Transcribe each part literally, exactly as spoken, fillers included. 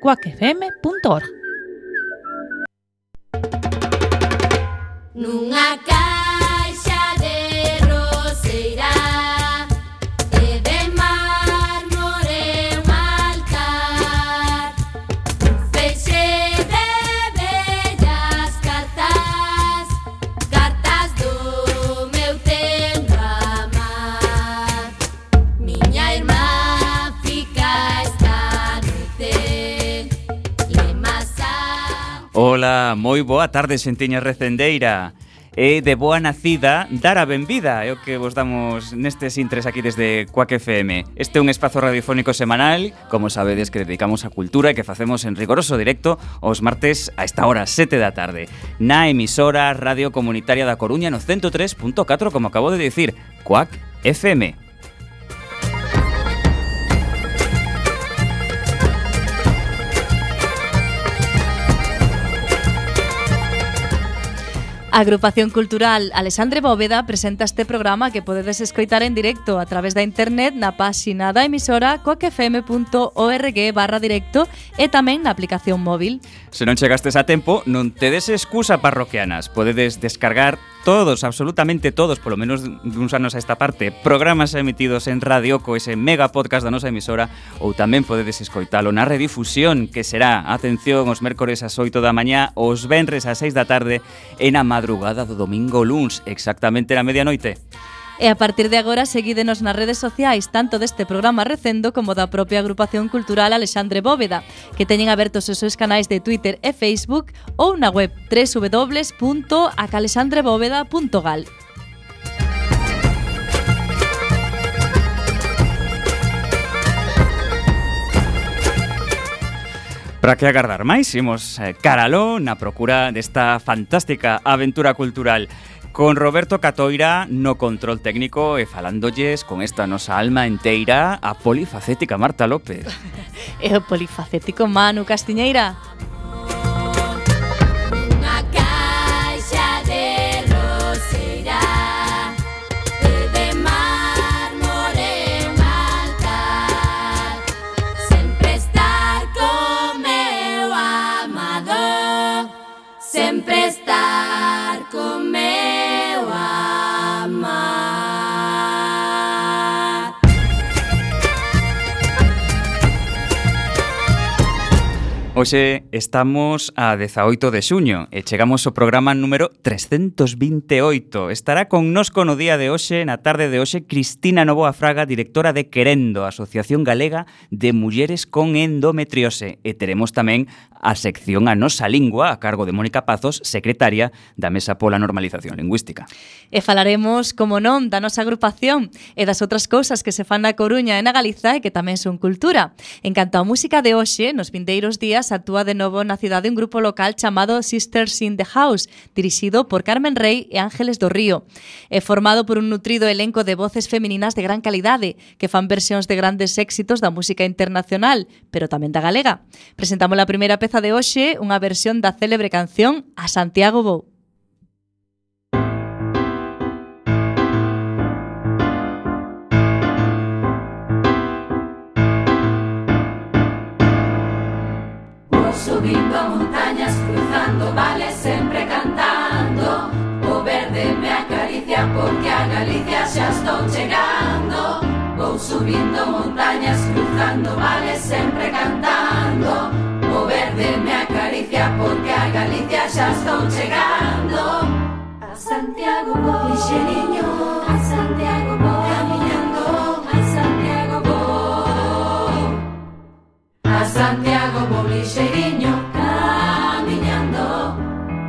cuac f m punto org. Nunha caixa de roseira e de mármore un altar, un feixe de bellas cartas, cartas do meu tendo amar. Miña irmá fica esta noite lemasa. Ola, moi boa tarde, xentiña recendeira. E de boa nacida, dar a benvida é o que vos damos nestes intres aquí desde Cuac F M. Este é un espazo radiofónico semanal, como sabedes, que dedicamos á cultura e que facemos en rigoroso directo os martes a esta hora, sete da tarde, na emisora Radio Comunitaria da Coruña no ciento tres punto catro, como acabo de dicir, Cuac F M. A Agrupación Cultural Alexandre Bóveda presenta este programa que podedes escoitar en directo a través da internet na páxina da emisora cuac f m punto org barra directo e tamén na aplicación móvil. Se non chegastes a tempo, non tedes excusa, parroquianas. Podedes descargar todos, absolutamente todos, polo menos duns anos a esta parte, programas emitidos en radio co ese mega podcast da nosa emisora, ou tamén podedes escoitalo na redifusión, que será, atención, os mércores ás oito da mañá, os venres ás seis da tarde e na madrugada do domingo luns, exactamente na medianoite. E a partir de agora seguídenos nas redes sociais tanto deste programa recendo como da propia Agrupación Cultural Alexandre Bóveda, que teñen abertos os seus canais de Twitter e Facebook ou na web w w w punto a calexandre bóveda punto gal. Para que agardar máis, imos eh, caraló na procura desta fantástica aventura cultural con Roberto Catoira no control técnico e falándolles con esta nosa alma enteira a polifacética Marta López. E o polifacético Manu Castiñeira. Hoxe estamos a dezaoito de xuño e chegamos ao programa número trescentos vinte e oito. Estará connosco no día de hoxe, na tarde de hoxe, Cristina Novoa Fraga, directora de Querendo, Asociación Galega de Mulleres con Endometriose. E teremos tamén a sección A Nosa Lingua, a cargo de Mónica Pazos, secretaria da Mesa pola Normalización Lingüística. E falaremos, como non, da nosa agrupación e das outras cousas que se fan na Coruña e na Galiza e que tamén son cultura. En canto á música de hoxe, nos vindeiros días actúa de novo na cidade un grupo local chamado Sisters in the House, dirixido por Carmen Rey e Ángeles do Río. É formado por un nutrido elenco de voces femininas de gran calidade, que fan versións de grandes éxitos da música internacional, pero tamén da galega. Presentamos a primeira peza de hoxe, unha versión da célebre canción A Santiago Vou. Subindo montañas, cruzando vales, sempre cantando. O verde me acaricia porque a Galicia xa estou chegando. Vou subindo montañas, cruzando vales, sempre cantando. O verde me acaricia porque a Galicia xa estou chegando. A Santiago vou, lixeriño, a Santiago vou, camiñando, a Santiago vou. A Santiago vou, lixeriño, camiñando.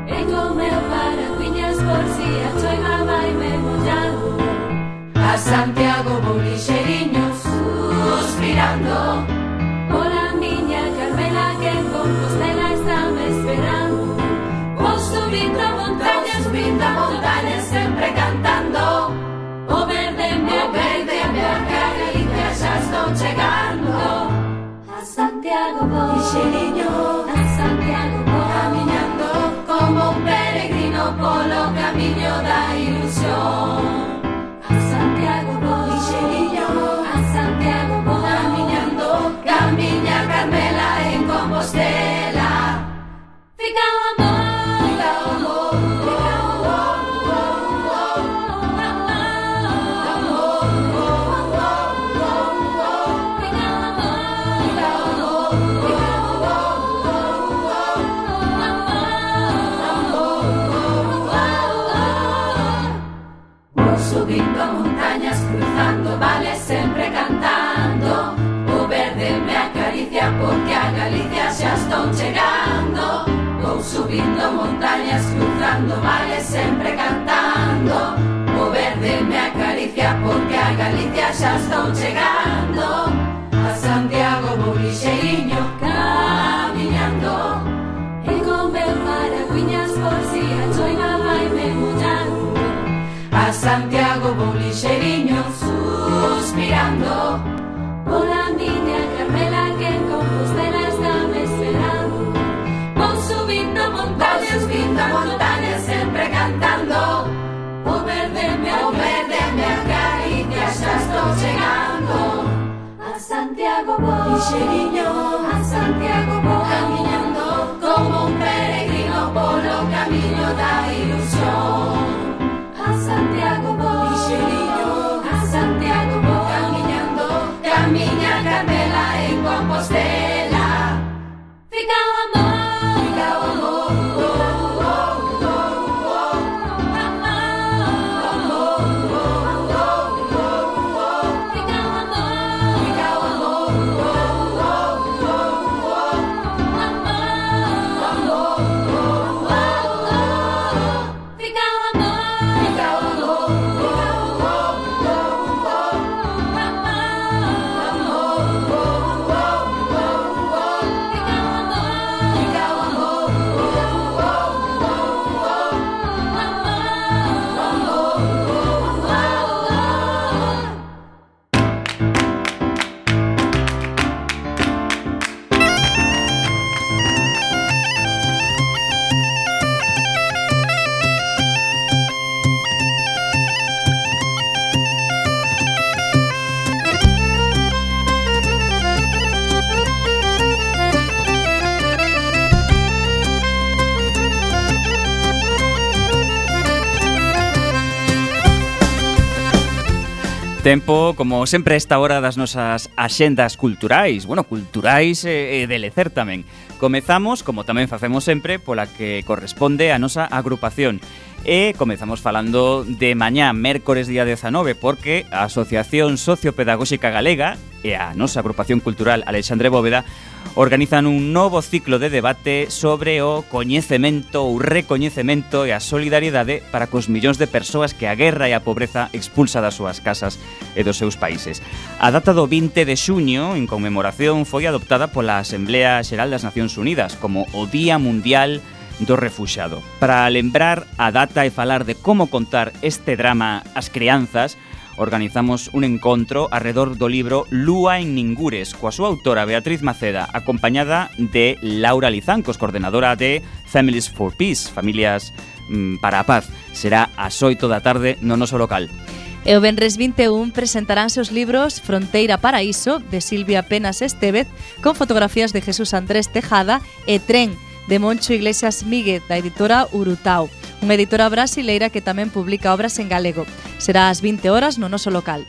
E con meu paraguiñas por si a choiva vai me mollando. A Santiago vou, lixeriño, suspirando. Pola miña Carmela que en Compostela está me esperando. Vou subindo montañas, subindo montañas, sempre cantando. O verde me verde me acaricia, xa estou chegando. A Santiago vou, lixeriño, a Santiago vou, camiñando como un peregrino polo camiño da ilusión. A Santiago vou, lixeriño, a Santiago vou, camiñando Galicia xa estou chegando. Vou subindo montañas, cruzando vales, sempre cantando. O verde me acaricia porque a Galicia xa estou chegando. A Santiago vou lixeiriño camiñando. E con meu paragüiñas por si a choiva vai me mollando. A Santiago vou lixeiriño suspirando. Pola miña Carmela que en Compostela está me esperando. Vou subindo montañas, subindo montañas, sempre cantando. O verde me, o verde me acaricia, xa estou chegando. A Santiago vou lixeiriño, a Santiago vou camiñando, como un peregrino polo camiño da ilusión. A Santiago vou lixeiriño, a Santiago vou camiñando, camiña Carmela en Compostela. Fica o amor, fica o amor. Tempo, como sempre, esta hora das nosas axendas culturais. Bueno, culturais e, e de lecer tamén. Comezamos, como tamén facemos sempre, pola que corresponde a nosa agrupación. E comezamos falando de mañá, mércores día dezanove, porque a Asociación Sociopedagóxica Galega e a nosa agrupación cultural Alexandre Bóveda organizan un novo ciclo de debate sobre o coñecemento ou recoñecemento e a solidariedade para cos millóns de persoas que a guerra e a pobreza expulsa das súas casas e dos seus países. A data do vinte de xuño, en conmemoración, foi adoptada pola Asamblea Xeral das Nacións Unidas como o Día Mundial do Refuxado. Para lembrar a data e falar de como contar este drama ás crianzas, organizamos un encontro arredor do libro Lúa en Ningures, coa súa autora Beatriz Maceda, acompañada de Laura Lizancos, coordenadora de Families for Peace, Familias mm, para a Paz. Será ás oito da tarde no noso local. E o venres vinte e un presentaránse os libros Fronteira Paraíso, de Silvia Penas Estevez, con fotografías de Jesús Andrés Tejada, e Tren, de Moncho Iglesias Míguez, da editora Urutao, unha editora brasileira que tamén publica obras en galego. Será ás vinte horas no noso local.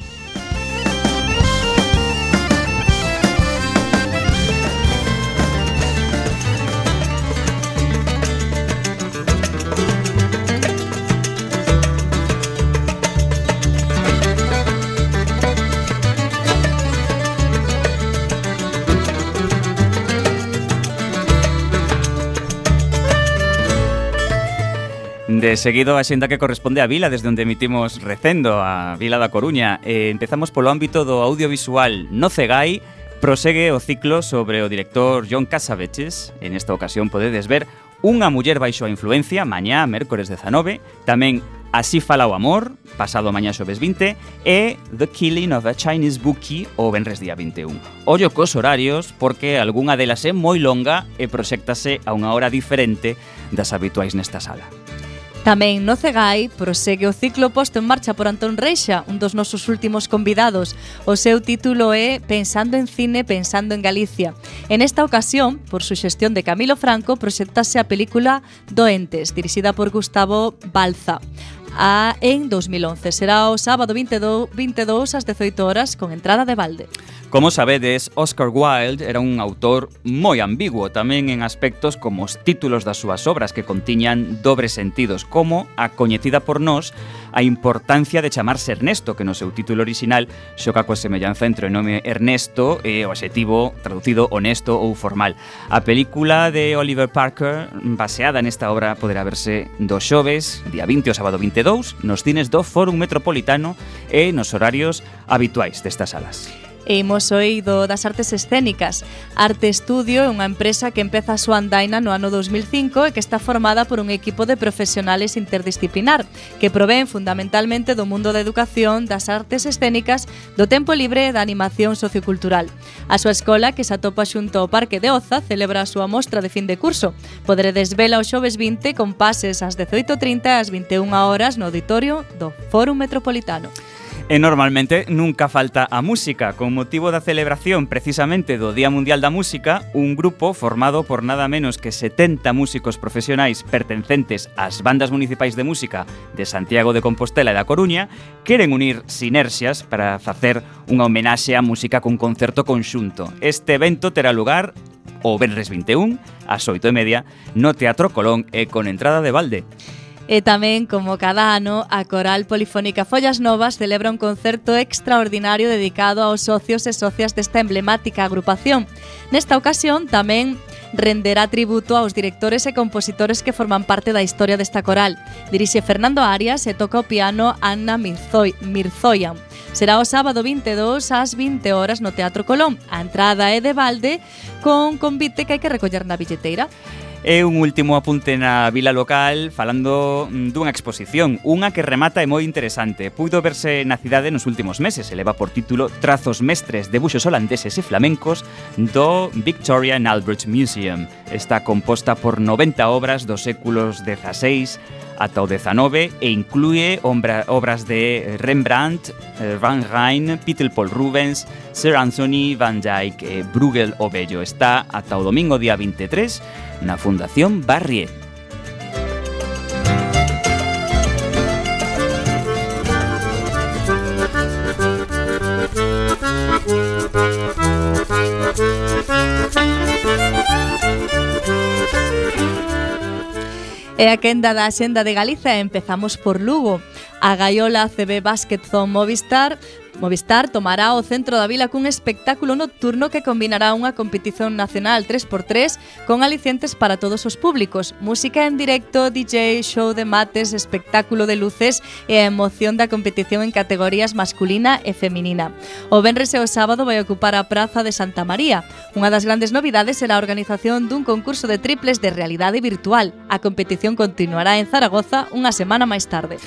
De seguido, a xenda que corresponde á vila, desde onde emitimos Recendo, a vila da Coruña. Eh, empezamos polo ámbito do audiovisual. No Cegai prosegue o ciclo sobre o director John Cassavetes. En esta ocasión podedes ver Unha muller baixo a influencia, mañá, mércores dezanove. Tamén Así fala o amor, pasado mañá xoves vinte. E The Killing of a Chinese Bookie, o venres día vinte e un. Ollo cos horarios, porque algunha delas é moi longa e proxéctase a unha hora diferente das habituais nesta sala. Tamén no Cegai prosegue o ciclo posto en marcha por Antón Reixa, un dos nosos últimos convidados. O seu título é Pensando en cine, pensando en Galicia. En esta ocasión, por suxestión de Camilo Franco, proxectase a película Doentes, dirixida por Gustavo Balza. A, en dos mil once. Será o sábado vinte e dous ás dezoito horas con entrada de balde. Como sabedes, Oscar Wilde era un autor moi ambiguo, tamén en aspectos como os títulos das súas obras que contiñan dobres sentidos, como a coñecida por nós a importancia de chamarse Ernesto, que no seu título orixinal xoca coa semellanza entre o nome Ernesto e o adxetivo traducido honesto ou formal. A película de Oliver Parker, baseada nesta obra, poderá verse do xoves, día vinte ao sábado vinte e dous, nos cines do Fórum Metropolitano e nos horarios habituais destas salas. E imos oído das artes escénicas. Arte Estudio é unha empresa que empeza a súa andaina no ano dos mil cinco e que está formada por un equipo de profesionales interdisciplinar que provén fundamentalmente do mundo da educación, das artes escénicas, do tempo libre e da animación sociocultural. A súa escola, que se atopa xunto ao Parque de Oza, celebra a súa mostra de fin de curso. Poderedes vela o xoves vinte con pases ás dezoito e trinta e ás vinte e unha horas no auditorio do Fórum Metropolitano. E normalmente nunca falta a música. Con motivo da celebración precisamente do Día Mundial da Música, un grupo formado por nada menos que setenta músicos profesionais pertencentes ás bandas municipais de música de Santiago de Compostela e da Coruña queren unir sinerxias para facer unha homenaxe á música cun concerto conxunto. Este evento terá lugar o venres vinte e un ás oito e media no Teatro Colón e con entrada de balde. E tamén, como cada ano, a Coral Polifónica Follas Novas celebra un concerto extraordinario dedicado aos socios e socias desta emblemática agrupación. Nesta ocasión tamén renderá tributo aos directores e compositores que forman parte da historia desta coral. Dirixe Fernando Arias e toca o piano Anna Mirzoyan. Será o sábado vinte e dous ás vinte horas no Teatro Colón. A entrada é de balde con convite que hai que recoller na billeteira. E un último apunte na vila local falando dunha exposición, unha que remata e moi interesante. Puido verse na cidade nos últimos meses e leva por título Trazos mestres, debuxos holandeses e flamencos do Victoria and Albert Museum. Está composta por noventa obras dos séculos dezaseis ata o dezanove e inclúe obras de Rembrandt, Van Rijn, Peter Paul Rubens, Sir Anthony Van Dyck e Bruegel o Bello. Está ata o domingo día vinte e tres na Fundación Barrié. E a quenda da Xenda de Galiza empezamos por Lugo. A Gaiola C B Basket Zone Movistar Movistar tomará o centro da vila cun espectáculo nocturno que combinará unha competición nacional tres por tres con alicientes para todos os públicos, música en directo, D J, show de mates, espectáculo de luces e a emoción da competición en categorías masculina e feminina. O venres e o sábado vai ocupar a Praza de Santa María. Unha das grandes novidades será a organización dun concurso de triples de realidade virtual. A competición continuará en Zaragoza unha semana máis tarde.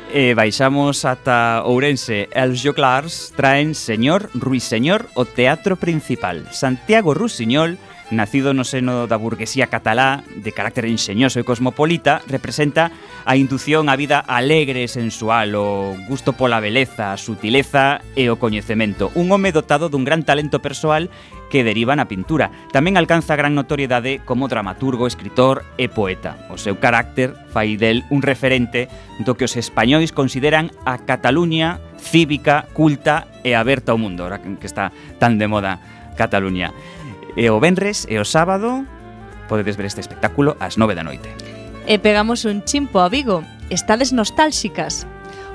E baixamos ata Ourense. Els Joglars traen Señor Ruiseñor o teatro principal. Santiago Rusiñol, nacido no seno da burguesía catalá, de carácter enxeñoso e cosmopolita, representa a indución á vida alegre e sensual, o gusto pola beleza, a sutileza e o coñecemento. Un home dotado dun gran talento persoal que deriva na pintura. Tamén alcanza gran notoriedade como dramaturgo, escritor e poeta. O seu carácter fai del un referente do que os españois consideran a Cataluña cívica, culta e aberta ao mundo, ahora que está tan de moda Cataluña. E o venres e o sábado podedes ver este espectáculo ás nove da noite. E pegamos un chimpo a Vigo. Estades nostálxicas?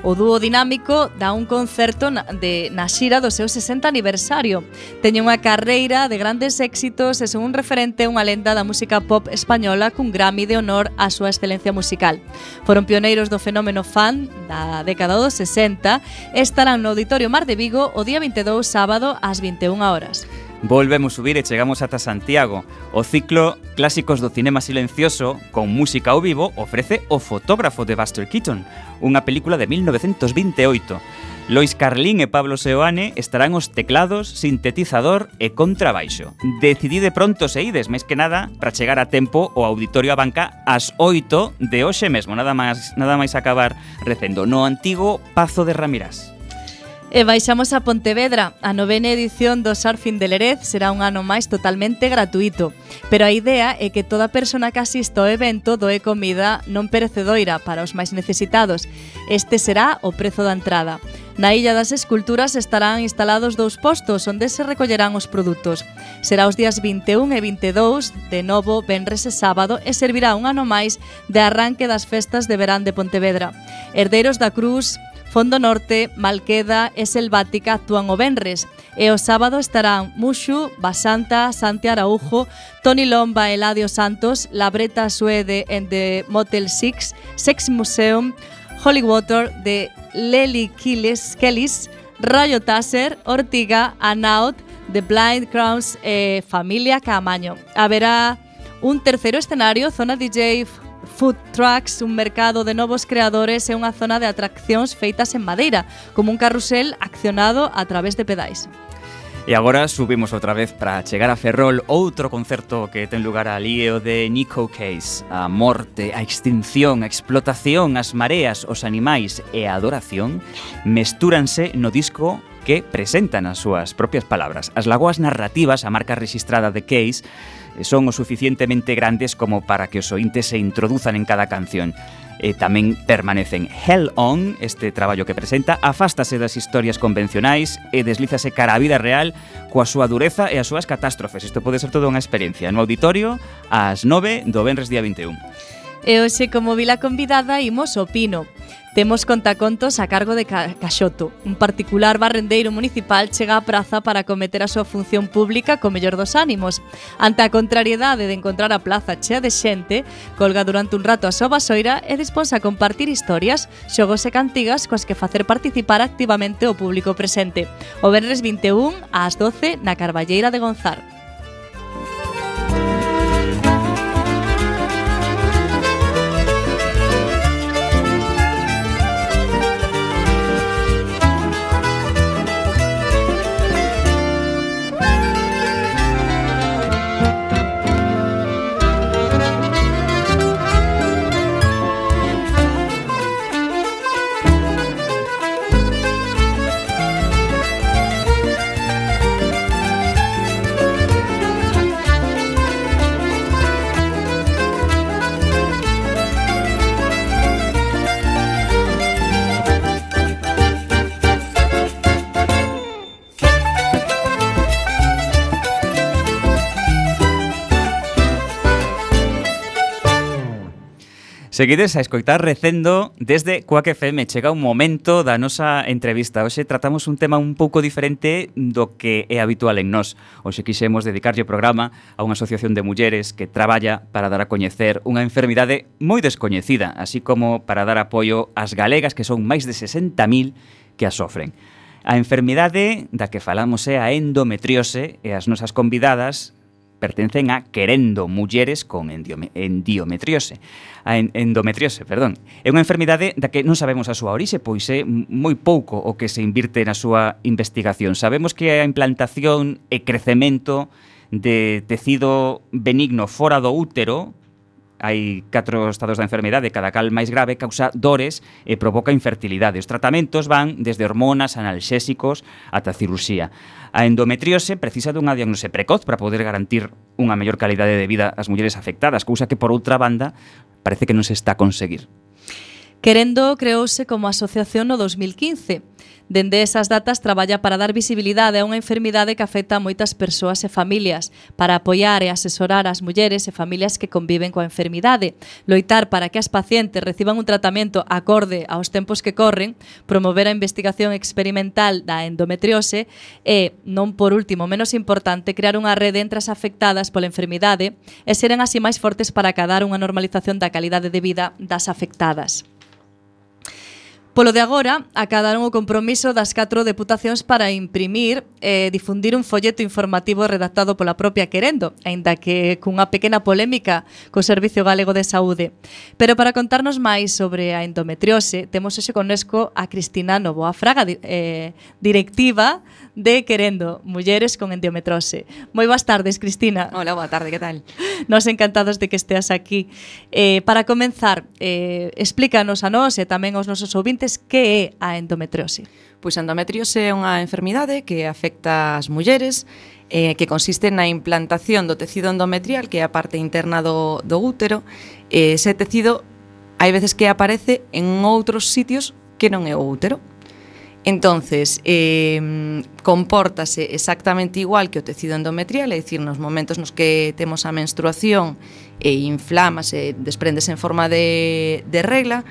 O dúo dinámico dá un concerto na, de, na xira do seu sesenta aniversario. Teña unha carreira de grandes éxitos e son un referente unha lenda da música pop española cun Grammy de honor á súa excelencia musical. Foron pioneiros do fenómeno fan da década dos sesenta e estarán no Auditorio Mar de Vigo o día vinte e dous sábado ás vinte e unha horas. Volvemos subir e chegamos ata Santiago. O ciclo Clásicos do Cinema Silencioso con música ao vivo ofrece O fotógrafo de Buster Keaton, unha película de mil novecentos vinte e oito. Lois Carlín e Pablo Seoane estarán os teclados, sintetizador e contrabaixo. Decidide pronto se ides, máis que nada, para chegar a tempo ao Auditorio Abanca ás oito de hoxe mesmo, nada máis, nada máis acabar recendo, no antigo Pazo de Ramirás. E baixamos a Pontevedra. A novena edición do Surfing de Lerez será un ano máis totalmente gratuito. Pero a idea é que toda persona que asista ao evento doe comida non perecedoira para os máis necesitados. Este será o prezo da entrada. Na Illa das Esculturas estarán instalados dous postos onde se recollerán os produtos. Será os días vinte e un e vinte e dous, de novo, venres e sábado, e servirá un ano máis de arranque das festas de verán de Pontevedra. Herdeiros da Cruz, Fondo Norte, Malqueda e Selvática actúan o venres e o sábado estarán Mushu, Basanta, Santi Araujo, Toni Lomba e Eladio Santos, Labreta Suede and the Motel Six, Sex Museum, Holy Water de Lely Killis, Kellys, Rayo Taser, Ortiga, Anaut, The Blind Crowns e Familia Caamaño. Haberá un terceiro escenario, zona D J, food trucks, un mercado de novos creadores e unha zona de atraccións feitas en madeira, como un carrusel accionado a través de pedais. E agora subimos outra vez para chegar a Ferrol, outro concerto que ten lugar ali é o de Nico Case. A morte, a extinción, a explotación, as mareas, os animais e a adoración mestúranse no disco que presentan as súas propias palabras. As lagoas narrativas, a marca rexistrada de Case, son o suficientemente grandes como para que os ointes se introduzan en cada canción. E tamén permanecen. Hell On, este traballo que presenta, afástase das historias convencionais e deslízase cara á vida real coa súa dureza e as súas catástrofes. Isto pode ser toda unha experiencia. No auditorio, ás nove do venres día vinte e un. E hoxe, como vila convidada, imos ao Pino. Temos contacontos a cargo de Caxoto. Un particular barrendeiro municipal chega á praza para acometer a súa función pública co mellor dos ánimos. Ante a contrariedade de encontrar a plaza chea de xente, colga durante un rato a súa vasoira e disponse a compartir historias, xogos e cantigas coas que facer participar activamente o público presente. O venres vinte e un ás doce na Carballeira de Gonzar. Seguides a escoitar Recendo desde Quack F M. Chega un momento da nosa entrevista. Hoxe tratamos un tema un pouco diferente do que é habitual en nós. Hoxe quixemos dedicarlle o programa a unha asociación de mulleres que traballa para dar a coñecer unha enfermidade moi descoñecida, así como para dar apoio ás galegas, que son máis de sesenta mil que a sofren. A enfermidade da que falamos é a endometriose e as nosas convidadas pertencen a Querendo Mulleres con Endometriose. A endometriose, perdón. É unha enfermidade da que non sabemos a súa orixe, pois é moi pouco o que se invirte na súa investigación. Sabemos que a implantación e crecemento de tecido benigno fora do útero, hai catro estados da enfermidade, cada cal máis grave, causa dores e provoca infertilidade. Os tratamentos van desde hormonas, analxésicos, ata cirurxía. A endometriose precisa dunha diagnose precoz para poder garantir unha mellor calidade de vida ás mulleres afectadas, cousa que, por outra banda, parece que non se está a conseguir. Querendo creouse como asociación no dos mil quince. Dende esas datas traballa para dar visibilidade a unha enfermidade que afecta a moitas persoas e familias, para apoiar e asesorar as mulleres e familias que conviven coa enfermidade, loitar para que as pacientes reciban un tratamento acorde aos tempos que corren, promover a investigación experimental da endometriose e, non por último menos importante, crear unha rede entre as afectadas pola enfermidade e seren así máis fortes para acadar unha normalización da calidade de vida das afectadas. Polo de agora, acadaron o compromiso das catro deputacións para imprimir e difundir un folleto informativo redactado pola propia Querendo, aínda que cunha pequena polémica co Servicio Galego de Saúde. Pero para contarnos máis sobre a endometriose, temos hoxe connosco a Cristina Novoa Fraga, eh, directiva de Querendo Mulleres con Endometriose. Moi boas tardes, Cristina. Hola, boa tarde, que tal? Nos encantados de que esteas aquí. Eh, para comenzar, eh, explícanos a nós e tamén aos nosos ouvintes oyentes que é a endometriose. Pois a endometriose é unha enfermidade que afecta as mulleres, eh, que consiste na implantación do tecido endometrial, que é a parte interna do, do útero. Eh, ese tecido hai veces que aparece en outros sitios que non é o útero. Entonces, eh, compórtase exactamente igual que o tecido endometrial, é dicir, nos momentos nos que temos a menstruación e inflámase, desprendese en forma de, de regla,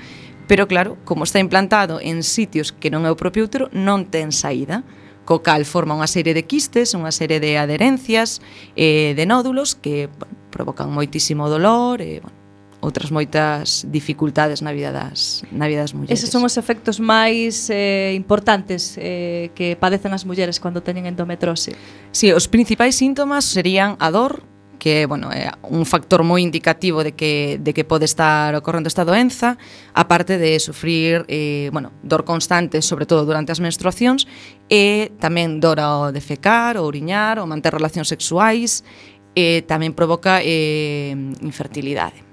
pero claro, como está implantado en sitios que non é o propio útero, non ten saída, co cal forma unha serie de quistes, unha serie de adherencias, eh, de nódulos que bueno, provocan moitísimo dolor e, bueno, outras moitas dificultades na vida das, na vida das mulleres. Eses son os efectos máis eh, importantes eh, que padecen as mulleres cando teñen endometrose. Sí, os principais síntomas serían a dor, que bueno, é un factor moi indicativo de que, de que pode estar ocorrendo esta doenza, aparte de sufrir eh, bueno, dor constante, sobre todo durante as menstruacións, e tamén dor ao defecar, ao oriñar, ou manter relacións sexuais, e tamén provoca eh, infertilidade.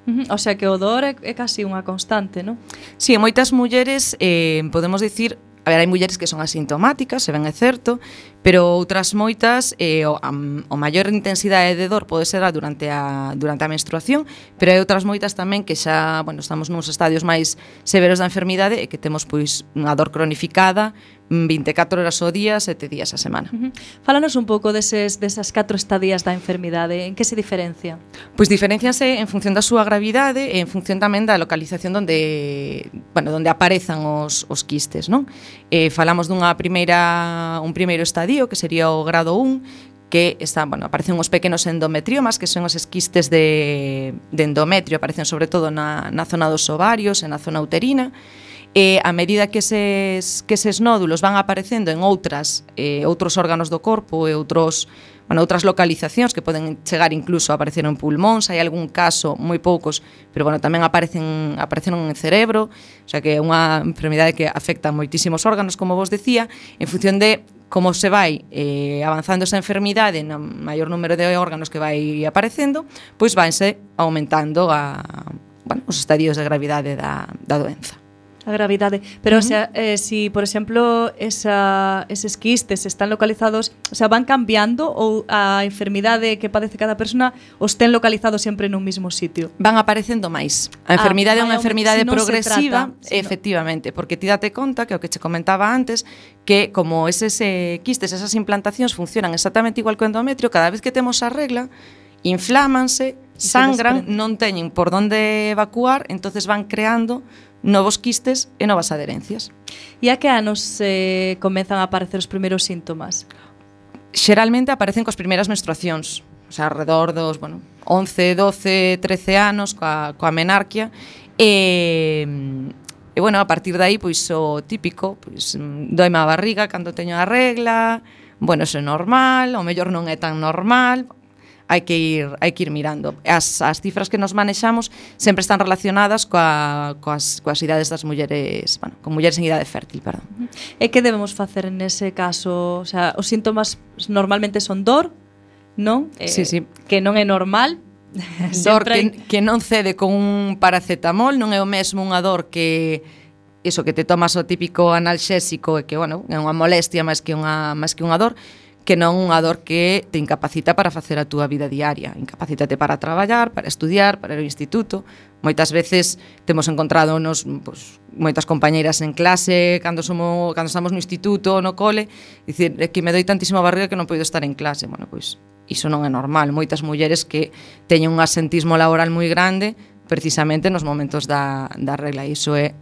Uh-huh. O sea que o dor é, é casi unha constante, non? Sí, moitas mulleres, eh, podemos dicir, a ver, hai mulleres que son asintomáticas, se ben é certo, pero outras moitas, eh, o, a, o maior intensidade de dor pode ser durante a, durante a menstruación, pero hai outras moitas tamén que xa, bueno, estamos nuns estadios máis severos da enfermidade e que temos pois unha dor cronificada vinte e catro horas ao día, sete días a semana. Uh-huh. Fálanos un pouco deses, desas catro estadías da enfermidade, en que se diferencia? Pois diferencianse en función da súa gravidade e en función tamén da localización onde, bueno, onde aparezan os, os quistes, non? Eh, falamos dunha primeira, un primeiro estadio, que sería o grado un, que está, bueno, aparecen uns pequenos endometriomas, que son os quistes de, de endometrio, aparecen sobre todo na, na zona dos ovarios e na zona uterina. E a medida que eses, que eses nódulos van aparecendo en outras eh, outros órganos do corpo e outros, bueno, outras localizacións que poden chegar incluso a aparecer en pulmóns, hai algún caso, moi poucos, pero bueno, tamén aparecen aparecen en cerebro, o sea que é unha enfermidade que afecta moitísimos órganos, como vos decía, en función de como se vai eh, avanzando esa enfermidade no maior número de órganos que vai aparecendo, pois vanse aumentando a, bueno, os estadios de gravidade da, da doenza. A gravidade, pero uh-huh. o sea, eh, si por exemplo esa, eses quistes están localizados, o sea, van cambiando ou a enfermidade que padece cada persona os ten localizado sempre nun mismo sitio? Van aparecendo máis. A enfermidade ah, é unha enfermidade si progresiva, trata, si efectivamente, no. Porque ti date conta que o que che comentaba antes, que como eses eh, quistes, esas implantacións funcionan exactamente igual que o endometrio, cada vez que temos a regla, inflámanse, sangran, non teñen por onde evacuar, entonces van creando novos quistes e novas adherencias. E a que anos eh, comezan a aparecer os primeiros síntomas? Xeralmente aparecen cos primeiras menstruacións, o sea, alrededor dos, bueno, once, doce, trece anos coa, coa menarquia e, e bueno, a partir de aí, pois o típico, pois doime a barriga cando teño a regla, bueno, eso é normal, o mellor non é tan normal. Hai que ir, hai que ir mirando. As, as cifras que nos manexamos sempre están relacionadas coa, coas, coas idades das mulleres, bueno, con mulleres en idade fértil, perdón. E que debemos facer nese caso? O sea, os síntomas normalmente son dor, non? Eh, sí, sí. Que non é normal. Dor que, que non cede con un paracetamol, non é o mesmo unha dor que iso que te tomas o típico analxésico e que, bueno, é unha molestia máis que unha, máis que unha dor, que non unha dor que te incapacita para facer a túa vida diaria. Incapacítate para traballar, para estudiar, para ir ao instituto. Moitas veces temos encontrado nos, pues, moitas compañeiras en clase cando somos cando estamos no instituto, no cole, dicir, é que me doi tantísima barriga que non podo estar en clase. Bueno, pois iso non é normal. Moitas mulleres que teñen un asentismo laboral moi grande precisamente nos momentos da, da regla. Iso é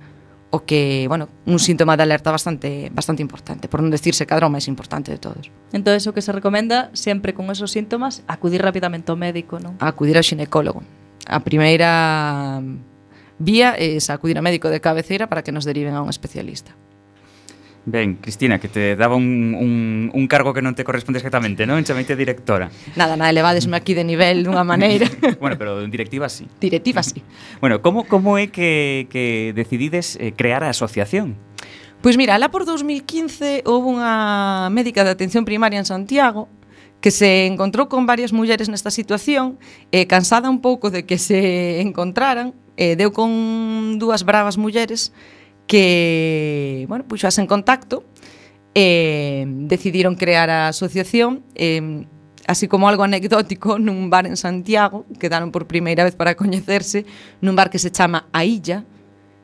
o que, bueno, un síntoma de alerta bastante bastante importante, por non decirse cadra o máis importante de todos. Entón, o que se recomenda sempre con esos síntomas, acudir rapidamente ao médico, non? Acudir ao xinecólogo. A primeira vía é acudir ao médico de cabeceira para que nos deriven a un especialista. Ben, Cristina, que te daba un, un, un cargo que non te corresponde exactamente, non? Chameite directora. Nada, nada, elevadesme aquí de nivel dunha maneira. Bueno, pero en directiva sí. Directiva sí. Bueno, como, como é que, que decidides eh, crear a asociación? Pois mira, lá por dos mil quince houve unha médica de atención primaria en Santiago que se encontrou con varias mulleres nesta situación, eh, cansada un pouco de que se encontraran, eh, deu con dúas bravas mulleres que, bueno, puxas en contacto e eh, decidiron crear a asociación eh, así como algo anecdótico nun bar en Santiago, quedaron por primeira vez para coñecerse nun bar que se chama A Illa,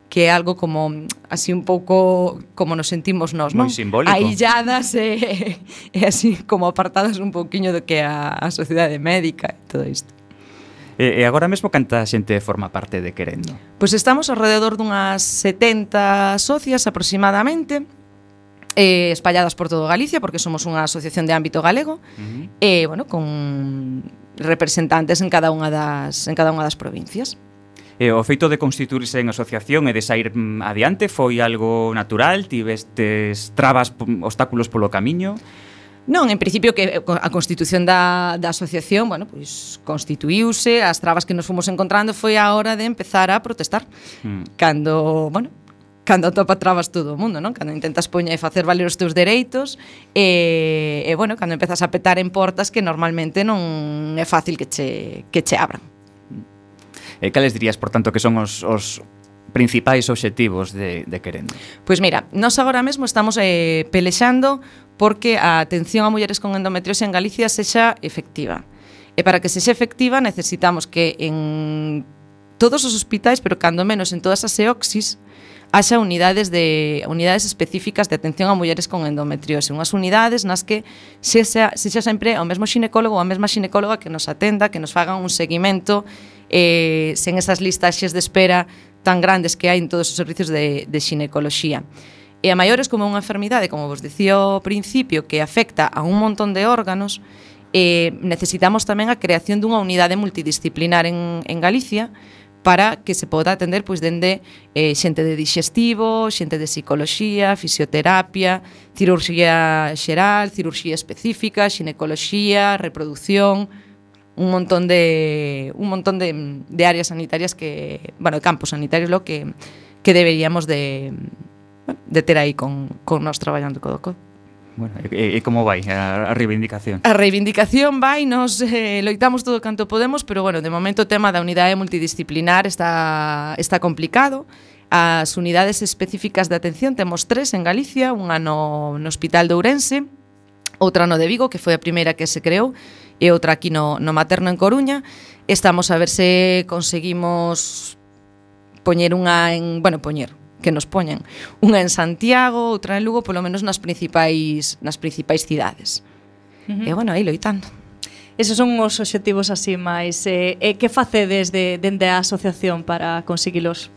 que é algo como así un pouco como nos sentimos nós, non? Moi simbólico. Ailladas e, e así como apartadas un pouquiño do que é a, a sociedade médica e todo isto. E, e agora mesmo canta xente forma parte de Querendo? Pois estamos alrededor dunhas setenta socias aproximadamente, eh, espalladas por todo Galicia, porque somos unha asociación de ámbito galego, uh-huh. e, bueno, con representantes en cada unha das, en cada unha das provincias. E o feito de constituirse en asociación e de sair adiante foi algo natural? Tivestes trabas, obstáculos polo camiño? Non, en principio que a constitución da, da asociación, bueno, pois constituíuse, as trabas que nos fomos encontrando foi a hora de empezar a protestar. Mm. Cando, bueno, cando topa trabas todo o mundo, non? Cando intentas poñer e facer valer os teus dereitos e, e bueno, cando empezas a petar en portas que normalmente non é fácil que che, que che abran. E cales dirías, por tanto, que son os, os principais obxectivos de, de Querendo? Pois mira, nós agora mesmo estamos eh, pelexando porque a atención a mulleres con endometriose en Galicia sexa efectiva. E para que sexa efectiva necesitamos que en todos os hospitais, pero cando menos en todas as EOXIS, haxa unidades de unidades específicas de atención a mulleres con endometriose, unhas unidades nas que sexa, sexa sempre o mesmo xinecólogo ou a mesma xinecóloga que nos atenda, que nos fagan un seguimento eh, sen esas listaxes de espera tan grandes que hai en todos os servicios de, de xinecoloxía. E a maiores como unha enfermidade, como vos dicía ao principio, que afecta a un montón de órganos, eh, necesitamos tamén a creación dunha unidade multidisciplinar en, en Galicia para que se poda atender pois dende eh, xente de digestivo, xente de psicoloxía, fisioterapia, cirurxía xeral, cirurxía específica, xinecoloxía, reproducción, un montón de un montón de, de áreas sanitarias que, bueno, campos sanitarios lo que que deberíamos de de ter aí con con nós traballando codo a codo. Bueno, e, e como vai a, a reivindicación? A reivindicación vai, nos eh, loitamos todo canto podemos, pero bueno, de momento o tema da unidade multidisciplinar está está complicado. As unidades específicas de atención temos tres en Galicia, unha no, no Hospital de Ourense, outra no de Vigo, que foi a primeira que se creou, e outra aquí no, no Materno en Coruña. Estamos a ver se conseguimos poñer unha en, bueno, poñer que nos poñen unha en Santiago, outra en Lugo, polo menos nas principais nas principais cidades. Uh-huh. E bueno, aí loitando. Esos son os obxectivos así máis eh, e que facedes de dende a asociación para conseguilos?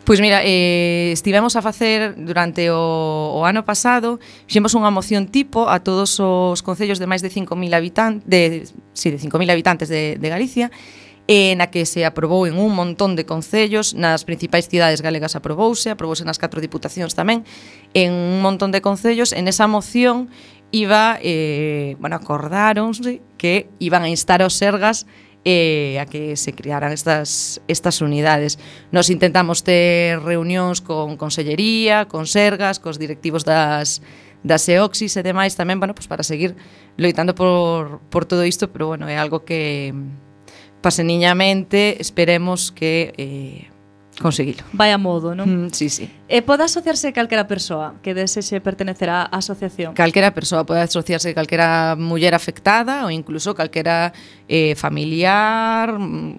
Pois mira, eh, estivemos a facer durante o, o ano pasado, fixemos unha moción tipo a todos os concellos de máis de cinco mil habitantes, de, sí, de cinco mil habitantes de, de Galicia, eh, na que se aprobou en un montón de concellos, nas principais cidades galegas aprobouse, aprobouse nas catro diputacións tamén, en un montón de concellos. En esa moción iba, eh, bueno, acordáronse que iban a instar aos Sergas eh, a que se crearan estas, estas unidades. Nos intentamos ter reunións con Consellería, con Sergas, cos directivos das, das EOXIS e demais tamén, bueno, pues para seguir loitando por, por todo isto, pero bueno, é algo que paseniñamente esperemos que eh, conseguilo. Vai a modo, non? Mm, sí, sí. E pode asociarse calquera persoa que desexe pertenecer á asociación? Calquera persoa pode asociarse, calquera muller afectada ou incluso calquera eh, familiar,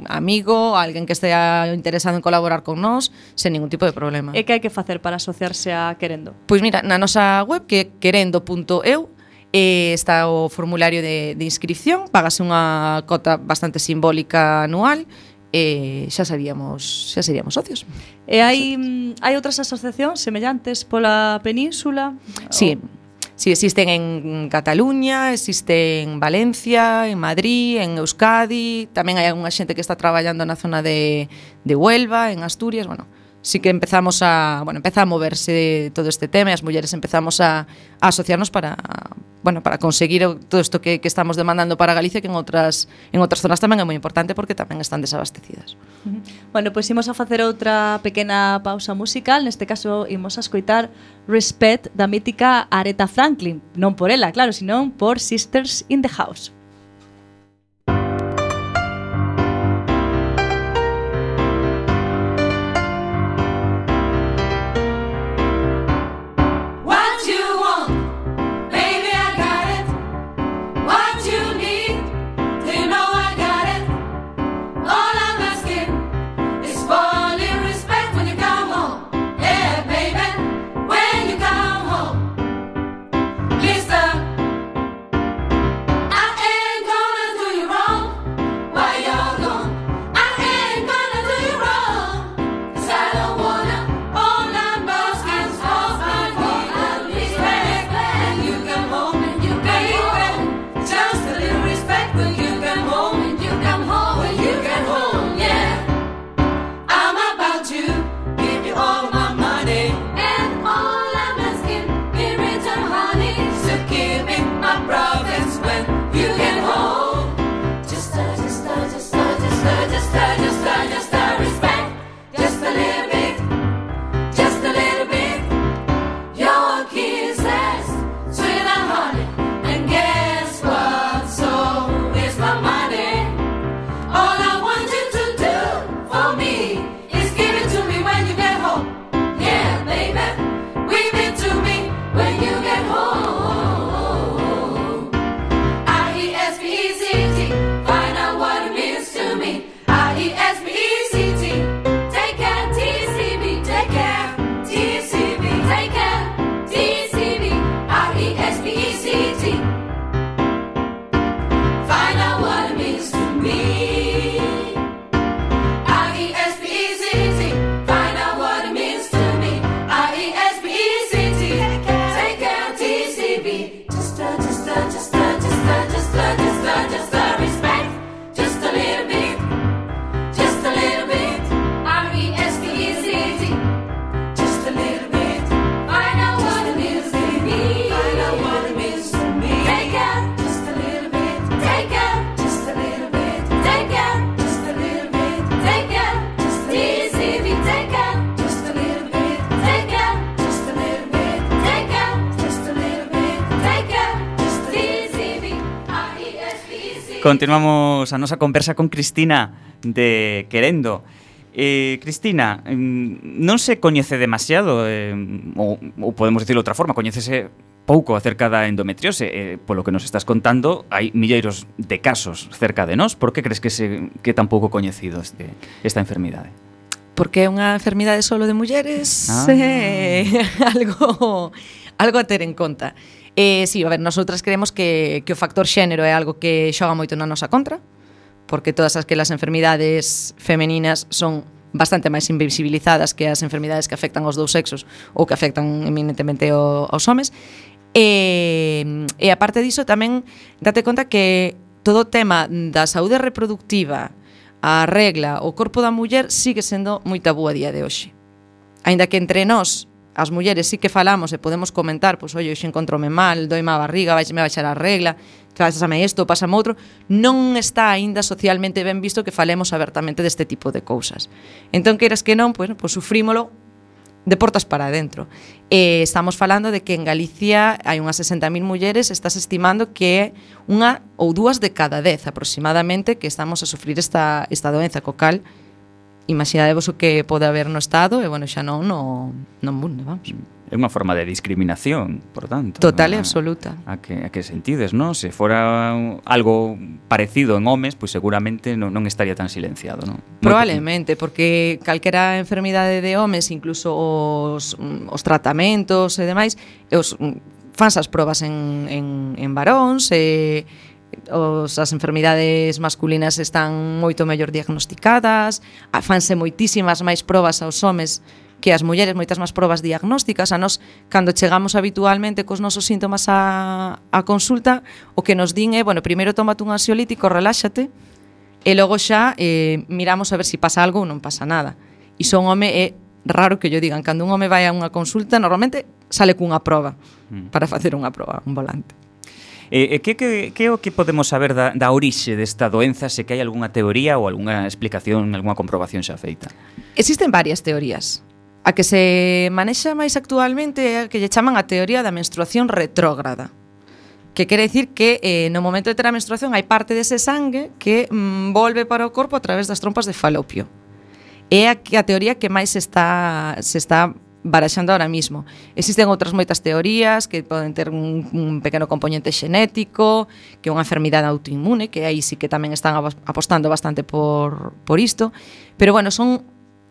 amigo, alguén que estea interesado en colaborar con nós, sen ningún tipo de problema. E que hai que facer para asociarse a Querendo? Pois mira, na nosa web, que é querendo punto eu, Eh, está o formulario de, de inscripción, págase unha cota bastante simbólica anual e xa seríamos xa seríamos socios. E hai hai outras asociacións semellantes pola península? Sí. Sí, existen en Cataluña, existe en Valencia, en Madrid, en Euskadi, tamén hai unha xente que está traballando na zona de de Huelva, en Asturias, bueno, sí que empezamos a, bueno, empeza a moverse todo este tema e as mulleres empezamos a, a asociarnos para, bueno, para conseguir todo isto que, que estamos demandando para Galicia, que en outras en outras zonas tamén é moi importante porque tamén están desabastecidas. Uh-huh. Bueno, pois pues imos a facer outra pequena pausa musical, neste caso imos a escoitar Respect da mítica Aretha Franklin, non por ela, claro, senón por Sisters in the House. Continuamos a nosa conversa con Cristina de Querendo. Eh, Cristina, non se coñece demasiado, eh, ou, ou podemos dicirlo de outra forma, coñécese pouco acerca da endometriose. Eh, polo que nos estás contando, hai milleiros de casos cerca de nós. Por que crees que se que tan pouco coñecido este, esta enfermidade? Porque é unha enfermidade solo de mulleres, ah. eh, algo, algo a ter en conta. Eh, sí, a ver, nosotras creemos que, que o factor xénero é algo que xoga moito na nosa contra, porque todas aquelas enfermidades femeninas son bastante máis invisibilizadas que as enfermidades que afectan aos dous sexos ou que afectan eminentemente o, aos homes. E, e aparte diso tamén date conta que todo o tema da saúde reproductiva, a regla, o corpo da muller sigue sendo moi tabú a día de hoxe. Aínda que entre nós as mulleres sí que falamos e podemos comentar, pois, oi, hoxe encontrome mal, doime a barriga, vai me baixar a regla, pásame isto, pásame outro, non está aínda socialmente ben visto que falemos abertamente deste tipo de cousas. Entón, queiras que non, pois, pois sufrímolo de portas para adentro. E estamos falando de que en Galicia hai unhas sesenta mil mulleres, estás estimando que é unha ou dúas de cada dez aproximadamente que estamos a sufrir esta, esta doenza, co cal imaginadevos o que pode haber no Estado e, bueno, xa non no, no mundo, vamos. É unha forma de discriminación, por tanto. Total e a, absoluta. A que, a que sentides, non? Se fora algo parecido en homes, pois seguramente non, non estaría tan silenciado, non? Probablemente, porque calquera enfermidade de homes, incluso os, os tratamentos e demais, os fans as probas en, en, en varóns, e os, as enfermidades masculinas están moito mellor diagnosticadas, fanse moitísimas máis probas aos homes que as mulleres, moitas máis probas diagnósticas. A nós, cando chegamos habitualmente cos nosos síntomas a, a consulta, o que nos din é, bueno, primeiro tómate un ansiolítico, reláxate, e logo xa eh, miramos a ver se si pasa algo ou non pasa nada. E son home, é raro que yo digan, cando un home vai a unha consulta, normalmente sale cunha proba, mm. para facer unha proba, un volante. E eh, que, que, que é o que podemos saber da, da orixe desta doenza, se que hai algunha teoría ou algunha explicación, algunha comprobación xa feita? Existen varias teorías. A que se manexa máis actualmente é a que lle chaman a teoría da menstruación retrógrada, que quere dicir que eh, no momento de ter a menstruación hai parte dese sangue que mm, volve para o corpo a través das trompas de falopio. É a, a teoría que máis se está, se está baraxando ahora mismo. Existen outras moitas teorías que poden ter un, un pequeno componente xenético, que é unha enfermidade autoinmune, que aí sí que tamén están apostando bastante por, por isto, pero bueno, son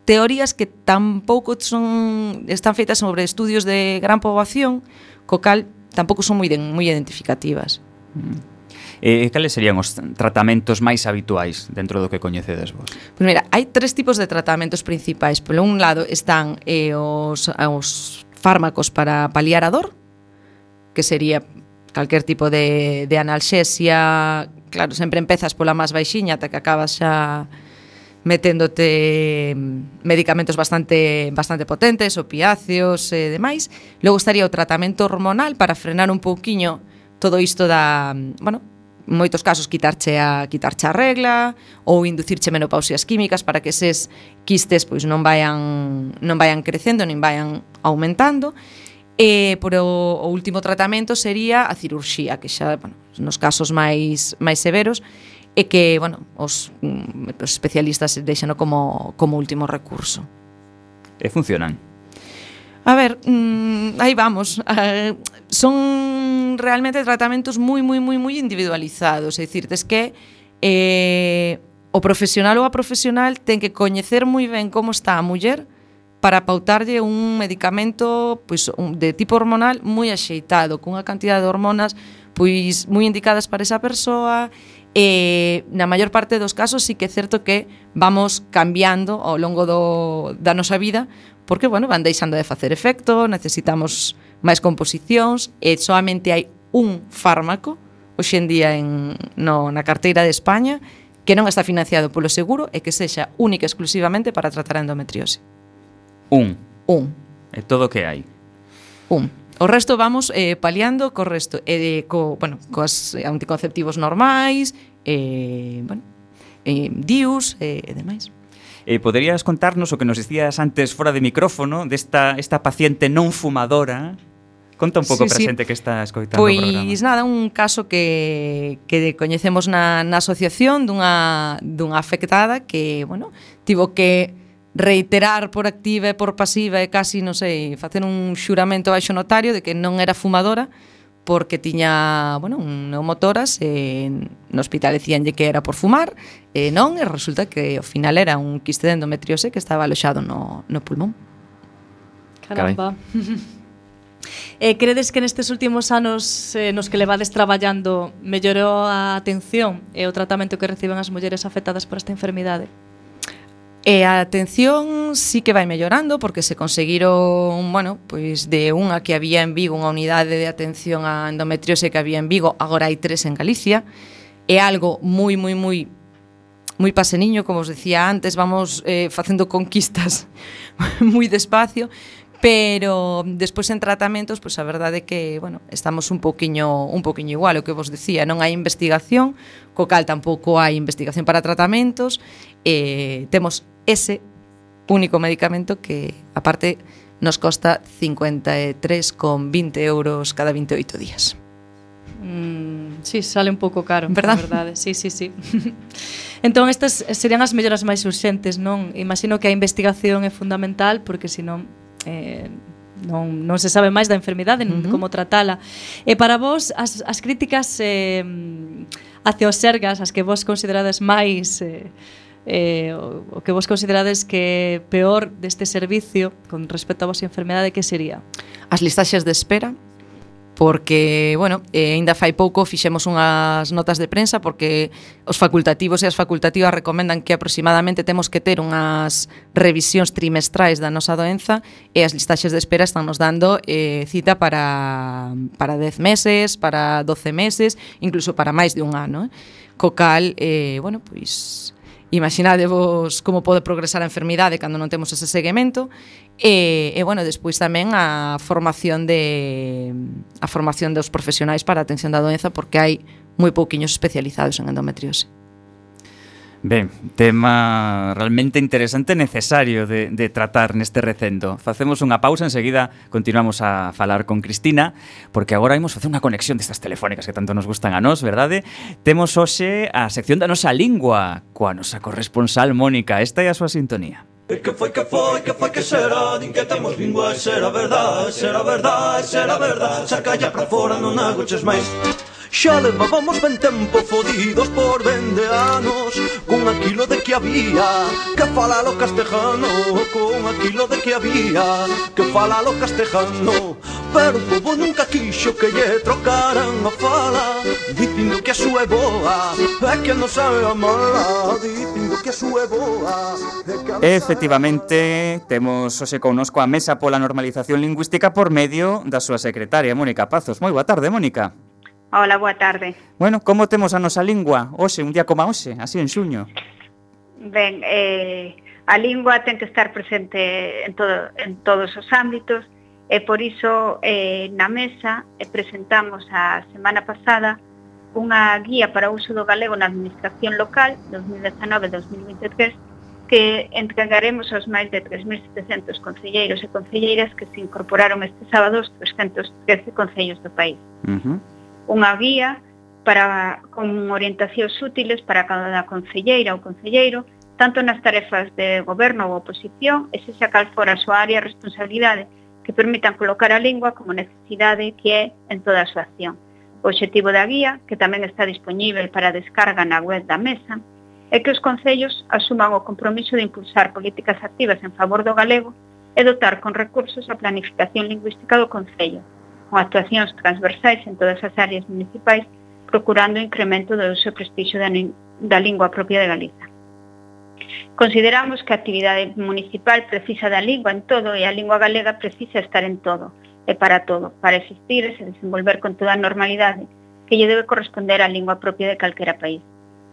teorías que tampouco son, están feitas sobre estudios de gran poboación, co cal tampouco son moi, moi identificativas. Mm. Eh, cales serían os tratamentos máis habituais dentro do que coñecedes vos? Pois mira, hai tres tipos de tratamentos principais. Por un lado están eh, os, os fármacos para paliar a dor, que sería calquer tipo de, de analxesia. Claro, sempre empezas pola máis baixiña ata que acabas xa meténdote medicamentos bastante bastante potentes, opiáceos e demais. Logo estaría o tratamento hormonal para frenar un pouquiño todo isto da, bueno, moitos casos quitarche a quitarche a regla ou inducirche menopausias químicas para que eses quistes pois non vayan non vayan crecendo nin vayan aumentando. E por o, o último tratamento sería a cirurxía, que xa, bueno, nos casos máis máis severos e que, bueno, os, os especialistas deixano como como último recurso. E funcionan? A ver, mmm, aí vamos. Uh, son realmente tratamentos moi, moi, moi, moi individualizados. É dicir, tes que eh, o profesional ou a profesional ten que coñecer moi ben como está a muller para pautarlle un medicamento pois, un, de tipo hormonal moi axeitado, cunha cantidad de hormonas pois moi indicadas para esa persoa. E na maior parte dos casos sí que é certo que vamos cambiando ao longo do, da nosa vida, porque, bueno, van deixando de facer efecto, necesitamos máis composicións, e solamente hai un fármaco hoxe en día en, no, na carteira de España que non está financiado polo seguro e que sexa única exclusivamente para tratar a endometriose. Un? Un. É todo o que hai? Un. O resto vamos eh, paliando co resto, e eh, co, bueno, coas anticonceptivos normais, eh, bueno, eh, D I Us e eh, demais. Eh, poderías contarnos o que nos dicías antes fora de micrófono desta esta paciente non fumadora Conta un pouco Sí, para sí. xente que está escoitando o programa. Pois nada, un caso que, que coñecemos na, na asociación dunha, dunha afectada que, bueno, tivo que reiterar por activa e por pasiva e casi, non sei, facer un xuramento baixo notario de que non era fumadora porque tiña, bueno, un neumotoras e no hospital decíanlle que era por fumar e non, e resulta que ao final era un quiste de endometriose que estaba aloxado no, no pulmón. Caramba. Eh, credes que nestes últimos anos eh, nos que levades traballando mellorou a atención e o tratamento que reciben as mulleres afectadas por esta enfermidade? E a atención sí que vai mellorando porque se conseguiron, bueno, pois de unha que había en Vigo, unha unidade de atención a endometriose que había en Vigo, agora hai tres en Galicia. É algo moi, moi, moi moi paseniño, como os decía antes, vamos eh, facendo conquistas moi despacio, pero despois en tratamentos, pois a verdade é que, bueno, estamos un poquiño un poquiño igual, o que vos decía, non hai investigación, co cal tampouco hai investigación para tratamentos, e temos ese único medicamento que, aparte, nos costa cincuenta e tres con vinte euros cada vinte e oito días. Mm, sí, sale un pouco caro, verdad? a verdade. Sí, sí, sí. Entón, estas serían as melloras máis urxentes, non? Imagino que a investigación é fundamental, porque senón eh, non, non se sabe máis da enfermidade, uh -huh. como tratala. E para vos, as, as críticas eh, hacia os sergas, as que vos considerades máis... Eh, eh, o, o que vos considerades que é peor deste servicio con respecto a vosa enfermedade, que sería? As listaxes de espera, porque, bueno, eh, ainda fai pouco fixemos unhas notas de prensa porque os facultativos e as facultativas recomendan que aproximadamente temos que ter unhas revisións trimestrais da nosa doenza e as listaxes de espera están nos dando eh, cita para, para dez meses, para doce meses, incluso para máis de un ano. Eh? Co cal, eh, bueno, pois... imaginadevos como pode progresar a enfermidade cando non temos ese seguimento e, e bueno, despois tamén a formación de a formación dos profesionais para a atención da doenza porque hai moi pouquiños especializados en endometriose. Ben, tema realmente interesante e necesario de, de tratar neste recendo. Facemos unha pausa, enseguida continuamos a falar con Cristina, porque agora imos facer unha conexión destas telefónicas que tanto nos gustan a nós, verdade? Temos hoxe a sección da nosa lingua, coa nosa corresponsal Mónica. Esta é a súa sintonía. Que foi, que foi, que foi, que será? Din que temos lingua, será verdade, será verdade, será verdade. Saca ya pra fora, non agoches máis. Xa levábamos ben tempo fodidos por vende anos con aquilo de que había que falalo castellano, con aquilo de que había que falalo castellano. Pero o povo nunca quixo que lle trocaran a fala, dicindo que a súa é boa é que non sabe a mala, dicindo que a súa é boa é que a Efectivamente, temos hoxe connosco a Mesa pola Normalización Lingüística por medio da súa secretaria, Mónica Pazos. Moi boa tarde, Mónica. Hola, boa tarde. Bueno, como temos a nosa lingua hoxe, un día como hoxe, así en xuño? Ben, eh, a lingua ten que estar presente en, todo, en todos os ámbitos e por iso eh, na mesa eh, presentamos a semana pasada unha guía para o uso do galego na administración local dos mil dezanove a dos mil vinte e tres que entregaremos aos máis de tres mil setecentos concelleiros e concelleiras que se incorporaron este sábado aos trescentos trece concellos do país. Uh-huh. Unha guía para, con orientacións útiles para cada concelleira ou concelleiro, tanto nas tarefas de goberno ou oposición, e se xa cal fora a súa área de responsabilidade, que permitan colocar a lingua como necesidade que é en toda a súa acción. O obxectivo da guía, que tamén está dispoñível para descarga na web da mesa, é que os concellos asuman o compromiso de impulsar políticas activas en favor do galego e dotar con recursos a planificación lingüística do concello, con actuacións transversais en todas as áreas municipais, procurando o incremento do uso e prestixio da, da lingua propia de Galiza. Consideramos que a actividade municipal precisa da lingua en todo e a lingua galega precisa estar en todo e para todo, para existir e se desenvolver con toda a normalidade que lle debe corresponder á lingua propia de calquera país.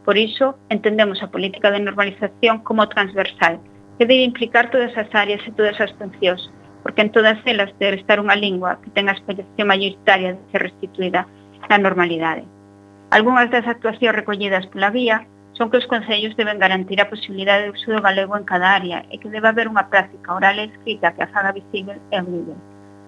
Por iso, entendemos a política de normalización como transversal, que debe implicar todas as áreas e todas as funcións, porque en todas elas debe estar unha lingua que ten a expresión mayoritaria de ser restituída na normalidade. Algúnas das actuacións recollidas pola guía son que os concellos deben garantir a posibilidade de uso do galego en cada área e que debe haber unha práctica oral e escrita que a faga visible e audible.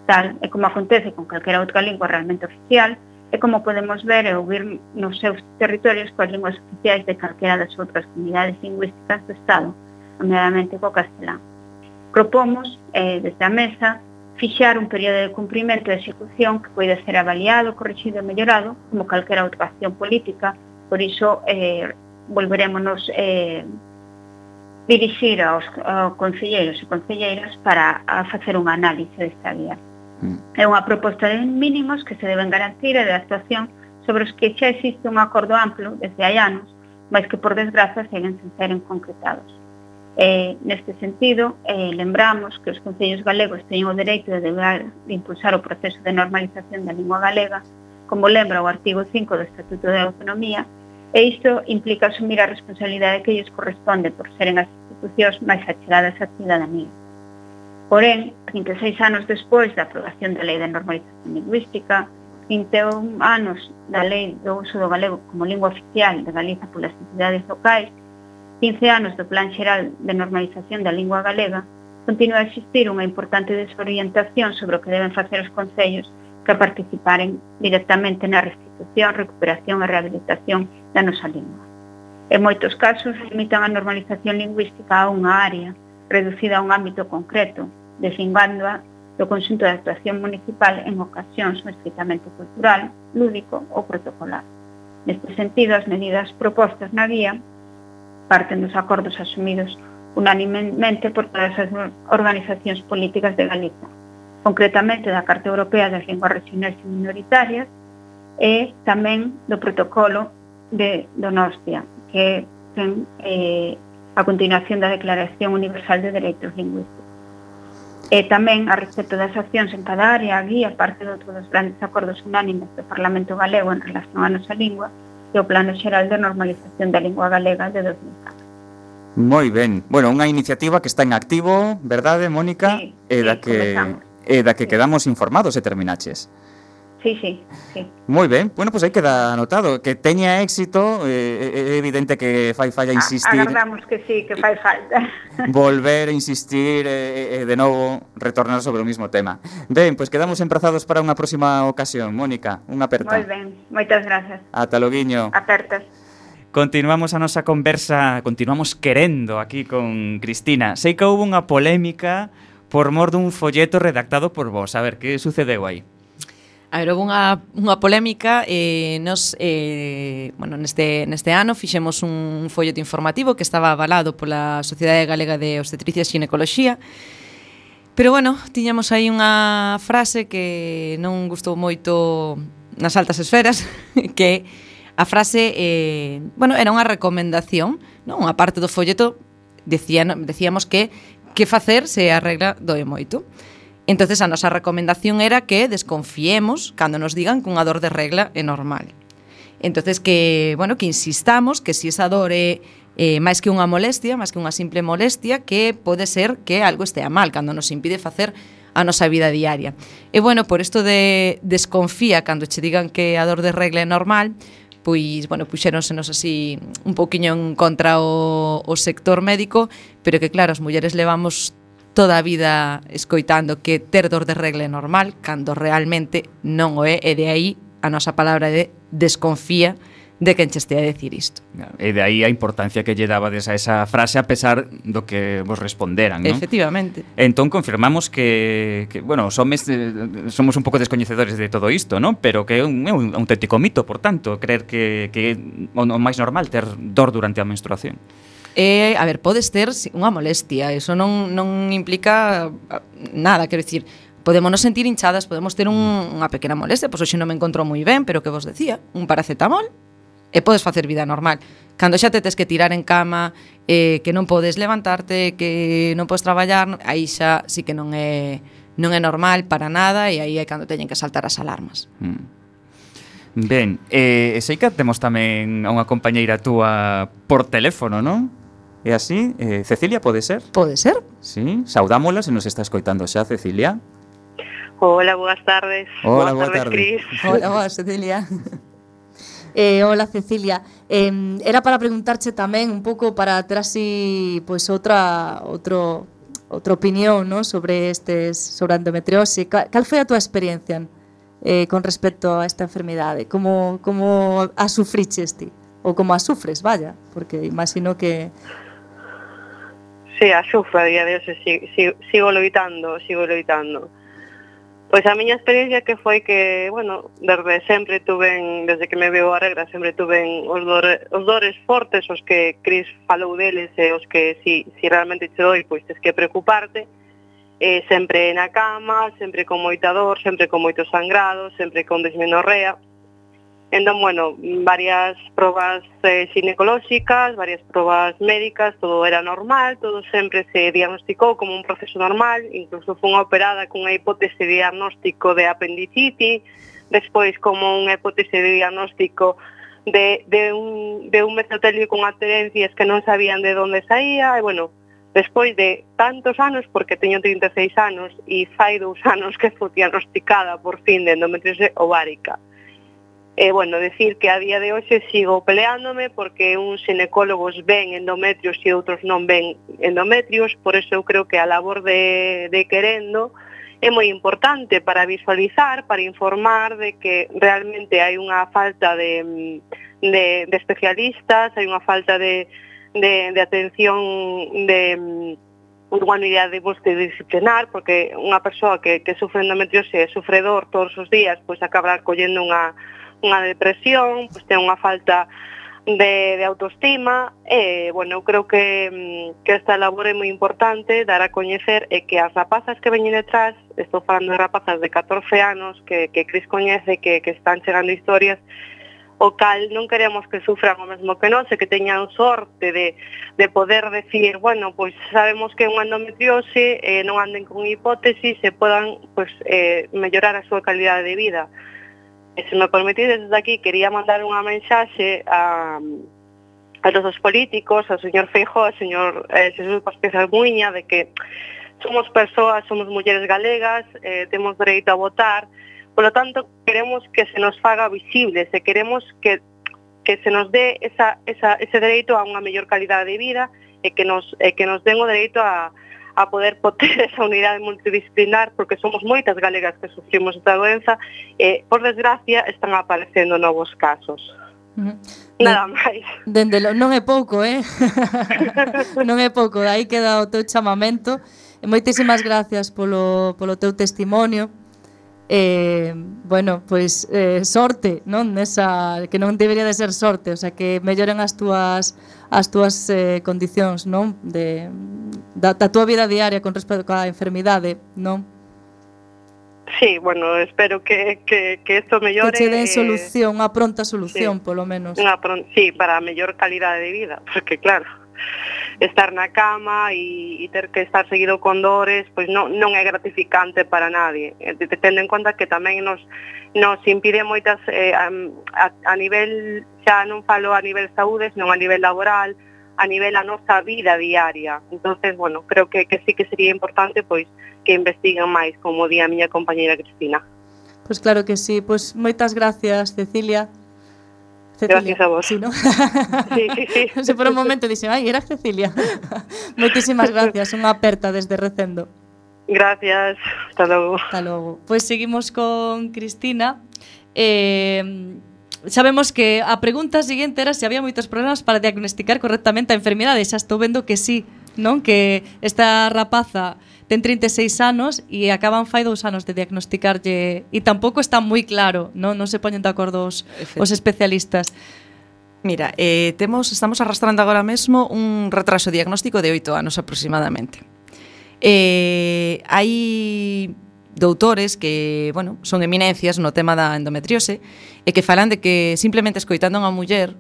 tal, e como acontece con calquera outra lingua realmente oficial, e como podemos ver e ouvir nos seus territorios coas linguas oficiais de calquera das outras comunidades lingüísticas do Estado, nomeadamente co castelán. Propomos, eh, desde a mesa, fixar un período de cumprimento e execución que pode ser avaliado, corrixido e mellorado como calquera outra acción política. Por iso, eh, volverémonos eh, dirixir aos, aos concelleiros e concelleiras para a facer unha análise desta guía. Mm. É unha proposta de mínimos que se deben garantir e de actuación sobre os que xa existe un acordo amplo desde hai anos, mas que por desgraza seguen sen seren concretados. Eh, neste sentido, eh, lembramos que os concellos galegos teñen o dereito de, deber, de impulsar o proceso de normalización da lingua galega, como lembra o artigo cinco do Estatuto de Autonomía, e isto implica asumir a responsabilidade que lles corresponde por seren as institucións máis achegadas á cidadanía. Porén, trinta e seis anos despois da aprobación da Lei de Normalización Lingüística, vinte e un anos da Lei do Uso do Galego como lingua oficial de Galiza polas entidades locais, quince anos do Plan Xeral de Normalización da Lingua Galega, continua a existir unha importante desorientación sobre o que deben facer os concellos que participaren directamente na restitución, recuperación e rehabilitación da nosa lingua. En moitos casos, limitan a normalización lingüística a unha área, reducida a un ámbito concreto, deslingándoa do conxunto de actuación municipal en ocasións estritamente cultural, lúdico ou protocolar. Neste sentido, as medidas propostas na guía parten dos acordos asumidos unanimemente por todas as organizacións políticas de Galiza, concretamente da Carta Europea das Linguas Regionais e Minoritarias e tamén do protocolo de Donostia, que ten eh, a continuación da Declaración Universal de Dereitos Lingüísticos. E tamén, a respecto das accións en cada área, a guía parte de outro dos grandes acordos unánimes do Parlamento Galego en relación á nosa lingua e o Plano Xeral de Normalización da Lingua Galega de dos mil catro. Moi ben. Bueno, unha iniciativa que está en activo, verdade, Mónica? Sí, e da sí, que comenzamos. E da que quedamos informados e terminaches. Sí, sí, sí. Moi ben, bueno, pois pues aí queda anotado. Que teña éxito, é eh, evidente que fai falla insistir. Agardamos que sí, que fai falta. Volver a insistir e eh, eh, de novo retornar sobre o mismo tema. Ben, pois pues quedamos emprazados para unha próxima ocasión. Mónica, unha aperta. Moi ben, moitas grazas. Ata loguiño. Apertas. Continuamos a nosa conversa, continuamos querendo aquí con Cristina. Sei que houve unha polémica por mor dun folleto redactado por vos. A ver, que sucedeu aí? A ver, houve unha, unha polémica eh, nos, eh, bueno, neste, neste ano fixemos un folleto informativo que estaba avalado pola Sociedade Galega de Obstetricia e Xinecoloxía, pero bueno, tiñamos aí unha frase que non gustou moito nas altas esferas, que a frase, eh, bueno, era unha recomendación, non? Unha parte do folleto decía, decíamos que que facer se a regla doe moito. Entonces a nosa recomendación era que desconfiemos cando nos digan que unha dor de regla é normal. Entonces que, bueno, que insistamos que si esa dor é eh, máis que unha molestia, máis que unha simple molestia, que pode ser que algo estea mal cando nos impide facer a nosa vida diaria. E bueno, por isto de desconfía cando che digan que a dor de regla é normal, pois, bueno, puxéronsenos así un pouquiño en contra o, o sector médico, pero que claro, as mulleres levamos toda a vida escoitando que ter dor de regla é normal, cando realmente non o é, e de aí a nosa palabra de desconfía de quen che estea a decir isto. E de aí a importancia que lle dabades a esa frase a pesar do que vos responderan, non? Efectivamente. Entón confirmamos que, que bueno, os homes eh, somos un pouco descoñecedores de todo isto, non? Pero que é un, é un auténtico mito, por tanto, creer que, que é o máis normal ter dor durante a menstruación. Eh, a ver, podes ter unha molestia, eso non, non implica nada, quero dicir, podemos nos sentir hinchadas, podemos ter un, unha pequena molestia, pois hoxe non me encontro moi ben, pero que vos decía, un paracetamol e podes facer vida normal. Cando xa te tes que tirar en cama, eh, que non podes levantarte, que non podes traballar, aí xa sí que non é non é normal para nada, e aí é cando teñen que saltar as alarmas. Mm. Ben, eh, sei que temos tamén a unha compañeira túa por teléfono, non? É así? Eh, Cecilia, pode ser? Pode ser. Sí, saudámola se nos está escoitando xa, Cecilia. Hola, boas tardes. Hola, boas boa tardes, tarde. Cris. Hola, boa, Cecilia. Eh, hola Cecilia, eh, era para preguntarche tamén un pouco para ter así pois outra outro outra opinión, ¿no? sobre estes sobre a endometriose. Cal, cal foi a túa experiencia eh, con respecto a esta enfermidade? Como, como a sufriches ti? Ou como a sufres, vaya, porque imagino que... Sí, a sufro a día de hoxe, sigo, sigo, sigo loitando, sigo loitando. Pois a miña experiencia que foi que, bueno, desde sempre tuven, desde que me veo a regra, sempre tuven os dores, os dores fortes, os que Cris falou deles, e os que si, si realmente te doi, pois tes que preocuparte, eh, sempre na cama, sempre con moita dor, sempre con moito sangrado, sempre con dismenorrea. Entón, bueno, varias probas eh, ginecolóxicas, varias probas médicas, todo era normal, todo sempre se diagnosticou como un proceso normal, incluso fun operada cunha hipótese de diagnóstico de apendicitis, despois como unha hipótese de diagnóstico de, de, un, de un mesotelio con adherencias que non sabían de onde saía, e bueno, despois de tantos anos, porque teño trinta e seis anos, e fai dous anos que foi diagnosticada por fin de endometriose ovárica. E, bueno, decir que a día de hoxe sigo peleándome porque uns xinecólogos ven endometrios e outros non ven endometrios, por eso eu creo que a labor de, de querendo é moi importante para visualizar, para informar de que realmente hai unha falta de, de, de especialistas, hai unha falta de, de, de atención de unha unidade multidisciplinar, porque unha persoa que, que sufre endometriose e sufre dor todos os días, pois acaba collendo unha unha depresión, pois ten unha falta de, de autoestima, e, bueno, eu creo que, que esta labor é moi importante, dar a coñecer, e que as rapazas que veñen detrás, estou falando de rapazas de catorce anos, que, que Cris coñece, que, que están chegando historias, o cal non queremos que sufran o mesmo que nós, e que teñan sorte de, de poder decir, bueno, pois sabemos que é unha endometriose, eh, non anden con hipótesis, e podan pois, eh, mellorar a súa calidade de vida. E se me permitides desde aquí, quería mandar unha mensaxe a, a todos os políticos, ao señor Feijóo, ao señor eh, Xesús Vázquez Almuíña, de que somos persoas, somos mulleres galegas, eh, temos dereito a votar, polo tanto, queremos que se nos faga visibles, e queremos que, que se nos dé esa, esa, ese dereito a unha mellor calidade de vida, e que nos, e que nos den o dereito a a poder poter esa unidade multidisciplinar, porque somos moitas galegas que sufrimos esta doenza, e, por desgracia, están aparecendo novos casos. Uh-huh. Nada máis. Dende lo, non é pouco, eh? Non é pouco, aí queda o teu chamamento. E moitísimas gracias polo, polo teu testimonio. Eh, bueno, pois eh, sorte, non? Nesa, que non debería de ser sorte, o sea, que melloren as túas as túas eh, condicións, non? De, da, da túa vida diaria con respecto á enfermidade, non? Sí, bueno, espero que, que, que esto mellore. Que che den solución, unha pronta solución, sí, polo menos. Unha pron- sí, para a mellor calidade de vida, porque claro, estar na cama e, e ter que estar seguido con dores, pois non, non é gratificante para nadie. Tendo en conta que tamén nos, nos impide moitas, eh, a, a nivel, xa non falo a nivel saúde, senón a nivel laboral, a nivel a nosa vida diaria. Entonces, bueno, creo que, que sí que sería importante pois que investiguen máis, como di a miña compañera Cristina. Pois claro que sí, pois moitas gracias, Cecilia. Cecilia. Gracias a vos. Sí, ¿no? Sí, sí, sí. Se por un momento dixen, ai, era Cecilia. Moitísimas gracias, unha aperta desde Recendo. Gracias, hasta logo. Hasta logo. Pois seguimos con Cristina. Eh, sabemos que a pregunta seguinte era se había moitos problemas para diagnosticar correctamente a enfermidade. Xa estou vendo que sí, non? Que esta rapaza ten trinta e seis anos e acaban fai dous anos de diagnosticarlle, e tampouco está moi claro, non, non se poñen de acordo os, os especialistas. Mira, eh, temos, estamos arrastrando agora mesmo un retraso diagnóstico de oito anos aproximadamente. Eh, hai doutores que, bueno, son eminencias no tema da endometriose e que falan de que simplemente escoitando a unha muller,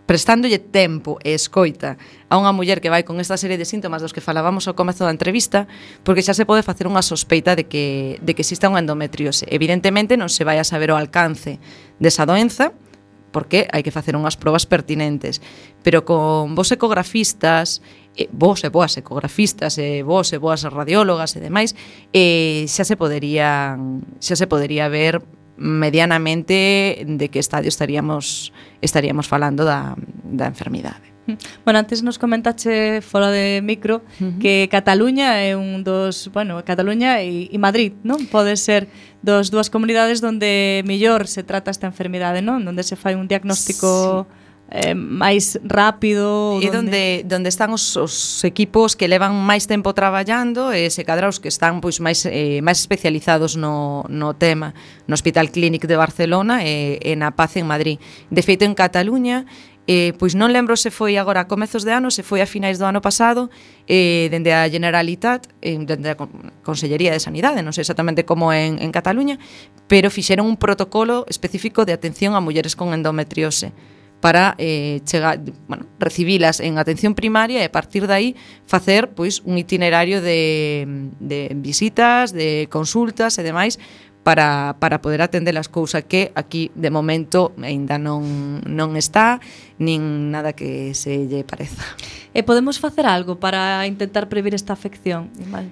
prestándolle tempo e escoita a unha muller que vai con esta serie de síntomas dos que falábamos ao comezo da entrevista, porque xa se pode facer unha sospeita de que, de que exista unha endometriose. Evidentemente non se vai a saber o alcance desa doenza, porque hai que facer unhas probas pertinentes, pero con vos ecografistas, eh, vos e boas ecografistas, e vos e boas radiólogas e demais, eh, xa se poderían, xa se podería ver medianamente de que estadio estaríamos estaríamos falando da, da enfermidade. Bueno, antes nos comentache fora de micro uh-huh. que Cataluña é un dos, bueno, Cataluña e, e Madrid, non? Pode ser dos dúas comunidades onde mellor se trata esta enfermidade, non? Onde se fai un diagnóstico sí. eh, máis rápido, e donde donde están os, os equipos que levan máis tempo traballando e se cadra os que están pois máis eh, máis especializados no no tema, no Hospital Clínic de Barcelona e, e na Paz en Madrid. De feito, en Cataluña Eh, pois non lembro se foi agora a comezos de ano, se foi a finais do ano pasado, eh, dende a Generalitat, eh, dende a Consellería de Sanidade, non sei exactamente como en, en Cataluña, pero fixeron un protocolo específico de atención a mulleres con endometriose para eh, chegar, bueno, recibilas en atención primaria e a partir de aí facer pois un itinerario de, de visitas, de consultas e demais para, para poder atender as cousas que aquí de momento aínda non, non está nin nada que se lle pareza. E podemos facer algo para intentar previr esta afección? Vale.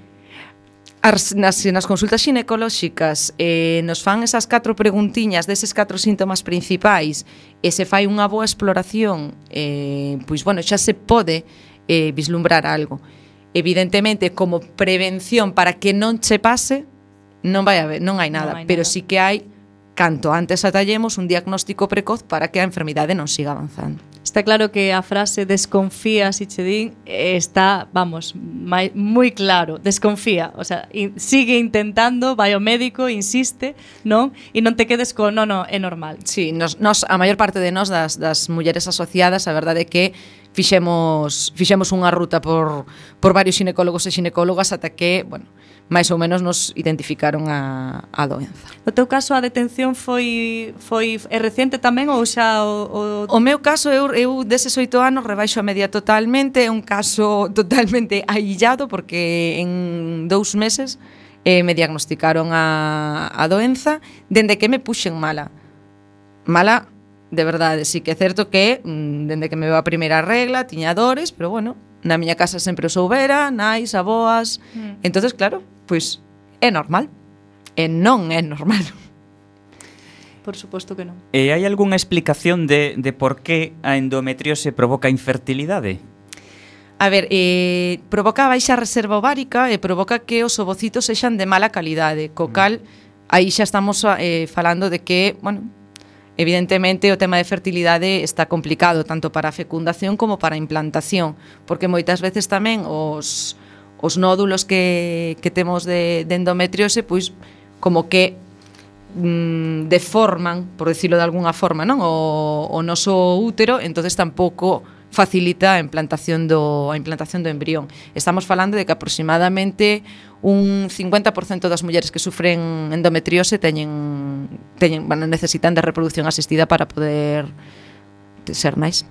As, nas, nas consultas ginecolóxicas eh, nos fan esas catro preguntiñas deses catro síntomas principais e se fai unha boa exploración, eh, pois bueno, xa se pode eh, vislumbrar algo. Evidentemente, como prevención para que non che pase, non vai haber, non hai nada, non hai pero nada. Sí que hai, canto antes atallemos, un diagnóstico precoz para que a enfermidade non siga avanzando. Está claro que a frase desconfía, si che din, está, vamos, mai, moi claro, desconfía, o sea, in, sigue intentando, vai ao médico, insiste, non? E non te quedes con, non, non, é normal. Sí, nos, nos, a maior parte de nós, das, das mulleres asociadas, a verdade é que fixemos, fixemos unha ruta por, por varios xinecólogos e xinecólogas ata que, bueno, máis ou menos nos identificaron a, a doenza. No teu caso, a detención foi foi é recente tamén ou xa o, o... O meu caso, eu, eu deses oito anos rebaixo a media totalmente, é un caso totalmente aillado porque en dous meses eh, me diagnosticaron a, a doenza dende que me puxen mala. Mala, de verdade, sí que é certo que dende que me veo a primeira regla tiña dores, pero bueno, na miña casa sempre o soubera, nais, aboas, mm. entonces claro, pois é normal. E non é normal. Por suposto que non. E hai algunha explicación de, de por que a endometriose provoca infertilidade? A ver, eh, provoca baixa reserva ovárica e provoca que os ovocitos sexan de mala calidade, co cal aí xa estamos eh, falando de que, bueno, evidentemente o tema de fertilidade está complicado tanto para a fecundación como para a implantación, porque moitas veces tamén os, os nódulos que, que temos de, de endometriose, pois como que mm, deforman, por decirlo de alguna forma, non? O, o noso útero, entonces tampouco facilita a implantación do a implantación do embrión. Estamos falando de que aproximadamente un cincuenta por cento das mulleres que sufren endometriose teñen teñen, bueno, necesitan de reproducción asistida para poder ser nais.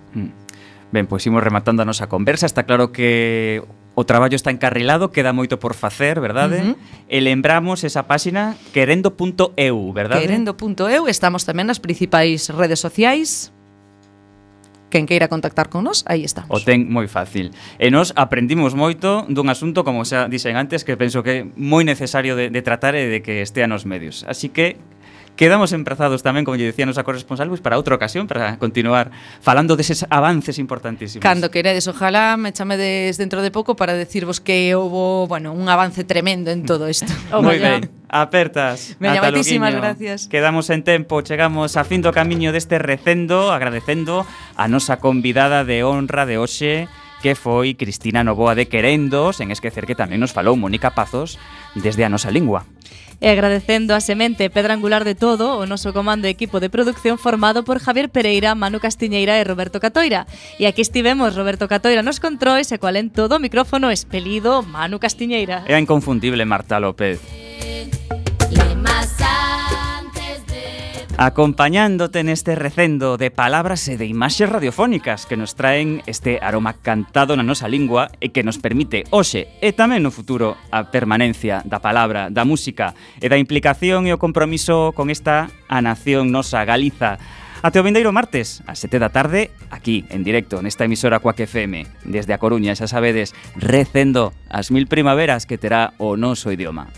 Ben, pois imos rematando a nosa conversa. Está claro que o traballo está encarrilado, queda moito por facer, verdade? Uh-huh. E lembramos esa páxina querendo punto e u, verdade? querendo punto e u, estamos tamén nas principais redes sociais. Quen queira contactar con nós, aí estamos. O ten moi fácil. E nós aprendimos moito dun asunto, como xa dixen antes, que penso que é moi necesario de, de tratar e de que estea nos medios. Así que quedamos emprazados tamén, como lle dicía a nosa corresponsal, pois para outra ocasión, para continuar falando deses avances importantísimos. Cando queredes, ojalá me chamedes dentro de pouco para decirvos que houve, bueno, un avance tremendo en todo isto. Moi ben. Apertas. Veña, moitísimas gracias. Quedamos en tempo, chegamos a fin do camiño deste recendo, agradecendo a nosa convidada de honra de hoxe, que foi Cristina Novoa de Querendo, sen esquecer que tamén nos falou Mónica Pazos desde a nosa lingua. E agradecendo a semente pedra angular de todo o noso comando de equipo de producción formado por Javier Pereira, Manu Castiñeira e Roberto Catoira. E aquí estivemos Roberto Catoira nos controis e cual en todo o micrófono expelido Manu Castiñeira. É a inconfundible Marta López. Acompañándote neste recendo de palabras e de imaxes radiofónicas que nos traen este aroma cantado na nosa lingua e que nos permite hoxe e tamén no futuro a permanencia da palabra, da música e da implicación e o compromiso con esta a nación nosa Galiza. Até o vindeiro martes, ás sete da tarde, aquí, en directo, nesta emisora Quack F M. Desde a Coruña, xa sabedes, recendo as mil primaveras que terá o noso idioma.